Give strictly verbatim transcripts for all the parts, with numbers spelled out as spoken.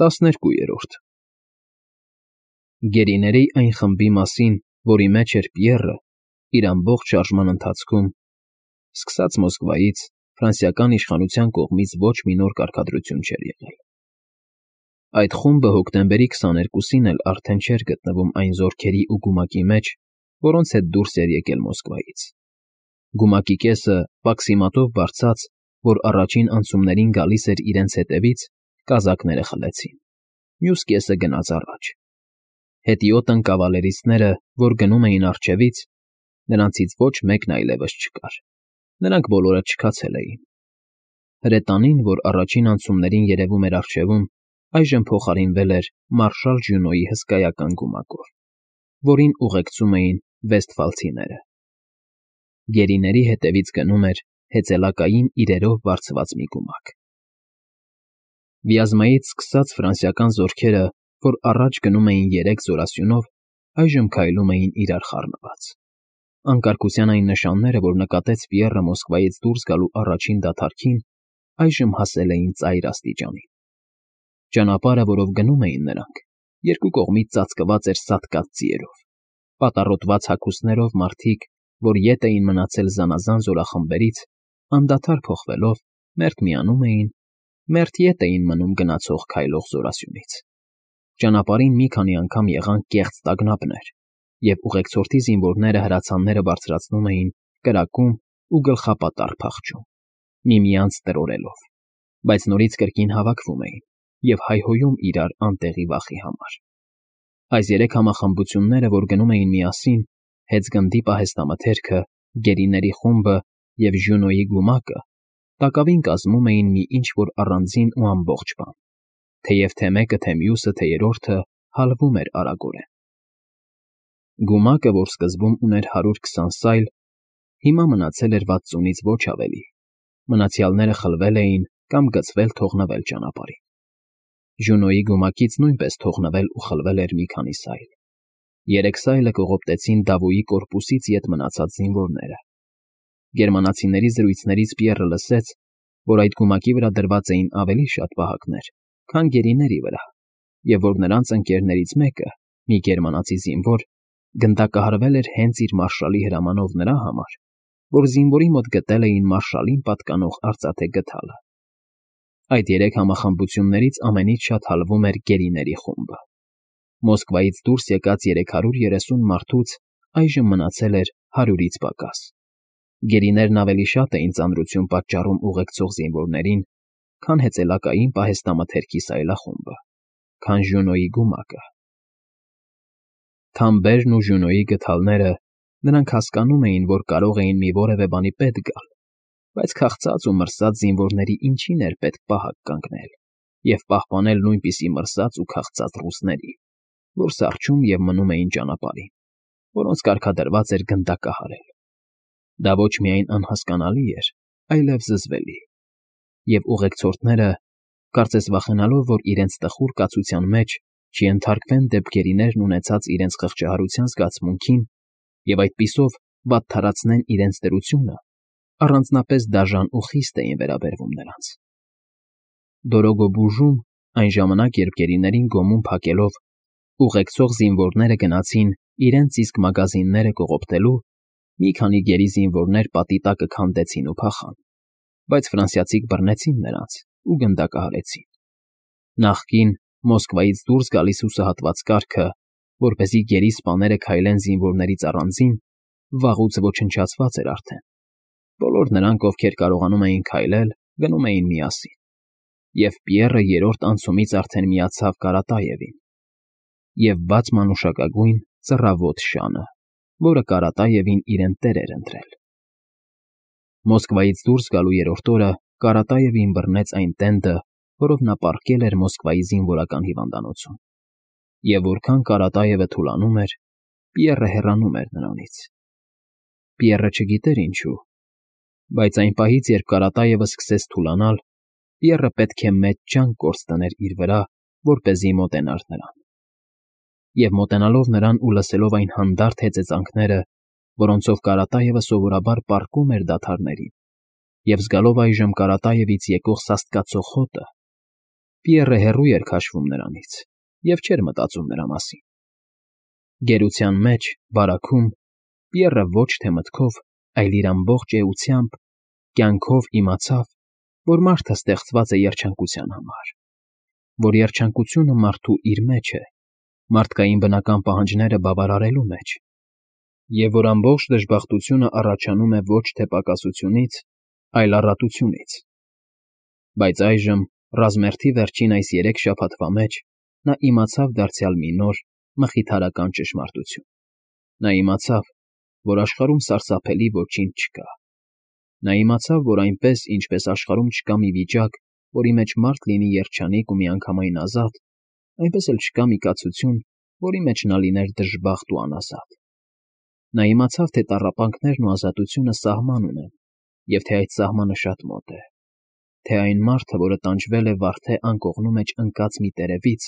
տասներկուերորդ Գերիների այն խմբի մասին, որի մեջ էր Պիեռը, իր ամբողջ շարժման ընթացքում, սկսած Մոսկվայից, ֆրանսիական իշխանության կողմից ոչ մի նոր կարգադրություն չէր եղել։ Այդ խումբը հոկտեմբերի քսաներկուսին էլ արդեն չէր գտնվում այն զորքերի ու գումակի մեջ, որոնց հետ դուրս էր եկել Մոսկվայից։ Գումակի կեսը, պաքսիմատով բարձած, որ առաջին անցումներին գալիս էր իրենց հետևից, կազակները խլեցին, մյուս կեսը գնաց առաջ։ Հետիոտն կավալերիստները, որ գնում էին առջևից, նրանցից ոչ մեկն այլևս չկար, նրանք բոլորը չքացել էին։ Հրետանին, որ առաջին անցումներին երևում էր առջևում, այժմ փոխարինվել էր մարշալ Ժյունոյի հսկայական գումակով, որին ուղեկցում էին վեստֆալցիները։ Գերիների հետևից գնում էր հեծելակային իրերով բարձված մի գումակ։ Վիազմայից սկսած ֆրանսիական զորքերը, որ առաջ գնում էին երեք զորասյունով, այժմ քայլում էին իրար խառնված։ Անկարգության այն նշանները, որ նկատեց Պիեռը Մոսկվայից դուրս գալու առաջին դադարքին, այժմ հասել էին ծայր աստիճանի։ Ճանապարհը, որով գնում էին նրանք, երկու կողմից ծածկված էր սատկած ձիերով, պատառոտված հագուստներով մարդիկ, որ ետ էին մնացել զանազան զորախմբերից, անդադար փոխվելով, մերթ միանում էին, մերթ ետ էին մնում գնացող քայլող զորասյունից։ Ճանապարհին մի քանի անգամ եղան կեղծ տագնապներ, և ուղեկցորդի զինվորները հրացանները բարձրացնում էին, կրակում ու գլխապատառ փախչում, միմյանց տրորելով, բայց նորից կրկին հավաքվում էին և հայհոյում իրար անտեղի վախի համար։ Այս երեք համախմբությունները, որ գնում էին միասին, հեծգնդի պահեստամթերքը, գերիների խումբը և Ժյունոյի գումակը, տակավին կազմում էին մի ինչ֊որ առանձին ու ամբողջ բան, թեև թե մեկը, թե մյուսը, թե երրորդը հալվում էր արագորեն։ Գումակը, որ սկզբում ուներ հարյուր քսան սայլ, հիմա մնացել էր վաթսունից ոչ ավելի, մնացյալները խլվել էին կամ գցվել թողնվել ճանապարհին։ Ժյունոյի գումակից նույնպես թողնվել ու խլվել էր մի քանի սայլ։ Երեք սայլը կողոպտեցին Դավոյի կորպուսից ետ մնացած զինվորները։ Գերմանացիների զրույցներից Պիեռը լսեց, որ այդ գումակի վրա դրված էին ավելի շատ պահակներ, քան գերիների վրա, և որ նրանց ընկերներից մեկը, մի գերմանացի զինվոր, գնդակահարվել էր հենց իր մարշալի հրամանով նրա համար, որ զինվորի մոտ գտել էին մարշալին պատկանող արծաթե գդալը։ Այդ երեք համախմբություններից ամենից շատ հալվում էր գերիների խումբը։ Մոսկվայից դուրս եկած երեք հարյուր երեսուն մարդուց այժմ մնացել էր հարյուրից պակաս։ Գերիներն ավելի շատ էին ծանրություն պատճառում ուղեկցող զինվորներին, քան հեծելակային պահեստամթերքի սայլախումբը, քան Ժյունոյի գումակը։ Թամբերն ու Ժյունոյի գդալները, նրանք հասկանում էին, որ կարող էին մի որևէ բանի պետք գալ, բայց քաղցած ու մրսած զինվորների ինչին էր պետք պահակ կանգնել և պահպանել նույնպիսի մրսած ու քաղցած ռուսների, որ սառչում և մնում էին ճանապարհին, որոնց կարգադրված էր գնդակահարել։ Դա ոչ միայն անհասկանալի էր, այլև զզվելի, և ուղեկցորդները, կարծես վախենալով, որ իրենց տխուր կացության մեջ չենթարկվեն դեպգերիներն ունեցած իրենց խղճահարության զգացմունքին և այդպիսով վատթարացնեն իրենց դրությունը, առանձնապես դաժան ու խիստ էին վերաբերվում նրանց։ Դորոգոբուժում, այն ժամանակ, երբ գերիներին գոմում փակելով, ուղեկցող զինվորները գնացին իրենց իսկ մագազինները կողոպտելու, մի քանի գերի զինվորներ պատի տակը քանդեցին ու փախան, բայց ֆրանսիացիք բռնեցին նրանց ու գնդակահարեցին։ Նախկին Մոսկվայից դուրս գալիս հուսահատված կարգը, որպեսզի գերի սպաները քայլեն զինվորներից առանձին, վաղուց ոչնչացված էր արդեն։ Բոլոր նրանք, ովքեր կարողանում էին քայլել, գնում էին միասին, և Պիեռը երրորդ անցումից արդեն միացավ Կարատաևին և բաց մանուշակագույն ծռավոտ շանը, որը Կարատաևին իրեն տեր էր ընտրել։ Մոսկվայից դուրս գալու երրորդ օրը Կարատաևին բռնեց այն տենդը, որով նա պառկել էր Մոսկվայի զինվորական հիվանդանոցում, և որքան Կարատաևը թուլանում էր, Պիեռը հեռանում էր նրանից։ Պիեռը չգիտեր ինչու, բայց այն պահից, երբ Կարատաևը սկսեց թուլանալ, Պիեռը պետք է մեծ ջանք գործ դներ իր վրա, որպեսզի մոտենար նրան։ Եվ մոտենալով նրան ու լսելով այն հանդարտ հեծեծանքները, որոնցով Կարատաևը սովորաբար պառկում էր դադարներին, և զգալով այժմ Կարատաևից եկող սաստկացող հոտը, Պիեռը հեռու էր քաշվում նրանից և չէր մտածում նրա մասին։ Գերության մեջ, բարաքում, Պիեռը ոչ թե մտքով, այլ իր ամբողջ էությամբ, կյանքով իմացավ, որ մարդը ստեղծված է երջանկության համար, որ երջանկությունը մարդու իր մեջ է, մարդկային բնական պահանջները բավարարելու մեջ, և որ ամբողջ դժբախտությունը առաջանում է ոչ թե պակասությունից, այլ առատությունից։ Բայց այժմ, ռազմերթի վերջին այս երեք շաբաթվա մեջ, նա իմացավ դարձյալ մի նոր, մխիթարական ճշմարտություն. նա իմացավ, որ աշխարհում սարսափելի ոչինչ չկա։ Նա իմացավ, որ այնպես, ինչպես աշխարհում չկա մի վիճակ, որի մեջ մարդ լինի երջանիկ ու միանգամայն ազատ, այնպես էլ չկա մի կացություն, որի մեջ նա լիներ դժբախտ ու անազատ։ Նա իմացավ, թե տառապանքներն ու ազատությունը սահման ունեն, և թե այդ սահմանը շատ մոտ է, թե այն մարդը, որը տանջվել է վարդե անկողնու մեջ ընկած մի տերևից,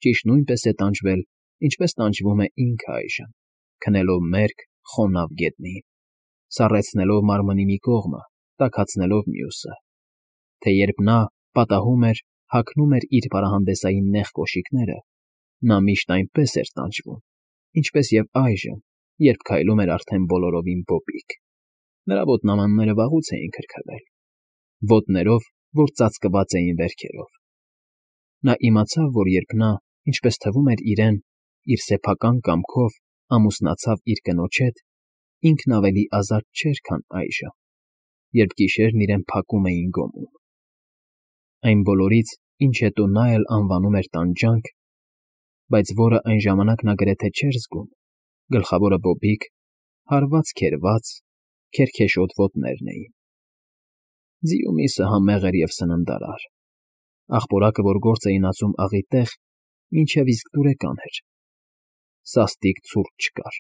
ճիշտ նույնպես է տանջվել, ինչպես տանջվում է ինքը այժմ, քնելով մերկ, խոնավ գետնին, սառեցնելով մարմնի մի կողմը, տաքացնելով մյուսը, թե երբ նա պատահում էր, հագնում էր իր պարահանդեսային նեղ կոշիկները, նա միշտ այնպես էր տանջվում, ինչպես և այժմ, երբ քայլում էր արդեն բոլորովին պոպիկ։ Նրա ոտնամանները վաղուց էին քրքրվել, ոտներով, որ ծածկված էին վերքերով։ Նա իմացավ, որ երբ նա, ինչպես թվում էր իրեն, իր սեփական կամքով ամուսնացավ իր կնոջ հետ, ինքն ավելի ազատ չէր, քան այժմ, երբ գիշերն իրեն փակում էին գոմում։ Այն բոլորից, ինչ հետո նա էլ անվանում էր տանջանք, բայց որը այն ժամանակ նա գրեթե չէր զգում, գլխավորը բոբիկ, հարված֊քերված, քերքեշոտ ոտներն էին։ Ձիու միսը համեղ էր և սննդարար, աղպորակը, որ գործ էին ածում աղի տեղ, մինչև իսկ դուրեկան էր, սաստիկ ցուրտ չկար,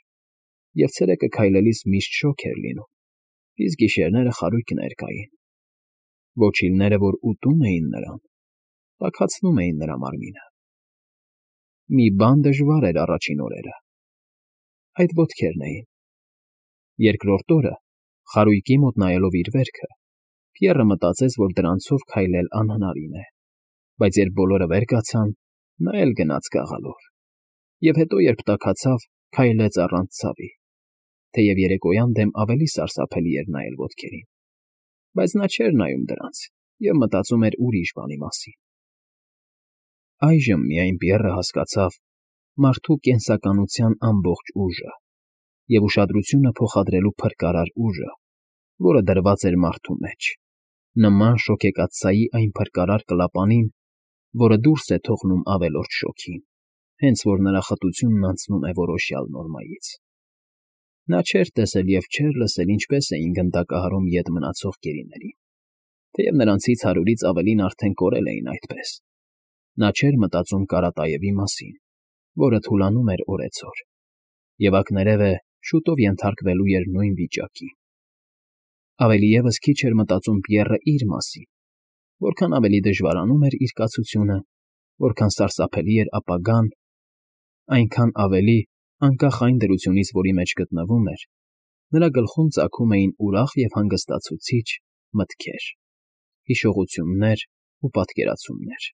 և ցերեկը քայլելիս միշտ շոգ էր լինում, իսկ գիշերները խարույկներ կային։ Ոչիլները, որ ուտում էին նրան, տաքացնում էին նրա մարմինը։ Մի բան դժվար էր առաջին օրերը. այդ ոտքերն էին։ Երկրորդ օրը, խարույկի մոտ նայելով իր վերքը, Պիեռը մտածեց, որ դրանցով քայլել անհնարին է, բայց երբ բոլորը վեր կացան, նա էլ գնաց գաղալով, և հետո, երբ տաքացավ, քայլեց առանց ցավի, թեև երեկոյան դեմ ավելի սարսափելի էր նայել ոտքերին, բայց նա չէր նայում դրանց և մտածում էր ուրիշ բանի մասին։ Այժմ միայն Պիեռը հասկացավ մարդու կենսականության ամբողջ ուժը և ուշադրությունը փոխադրելու փրկարար ուժը, որը դրված էր մարդու մեջ, նման շոգեկաթսայի այն փրկարար կլապանին, որը դուրս է թողնում ավելորդ շոգին, հենց որ նրա խտությունն անցնում է որոշյալ նորմայից։ Նա չէր տեսել և չէր լսել, ինչպես էին գնդակահարում ետ մնացող գերիներին, թեև նրանցից հարյուրից ավելին արդեն կորել էին այդպես։ Նա չէր մտածում Կարատաևի մասին, որը թուլանում էր օրեցօր, և ակներևէ շուտով ենթարկվելու էր նույն վիճակի։ Ավելի ևս քիչ էր մտածում Պիեռը իր մասին, որքան ավելի դժվարանում էր իր կացությունը, որքան սարսափելի էր ապագան, այնքան ավելի, անկախ այն դրությունից, որի մեջ գտնվում էր, նրա գլխում ծագում էին ուրախ և հանգստացուցիչ մտքեր, հիշողություններ ու պատկերացումներ։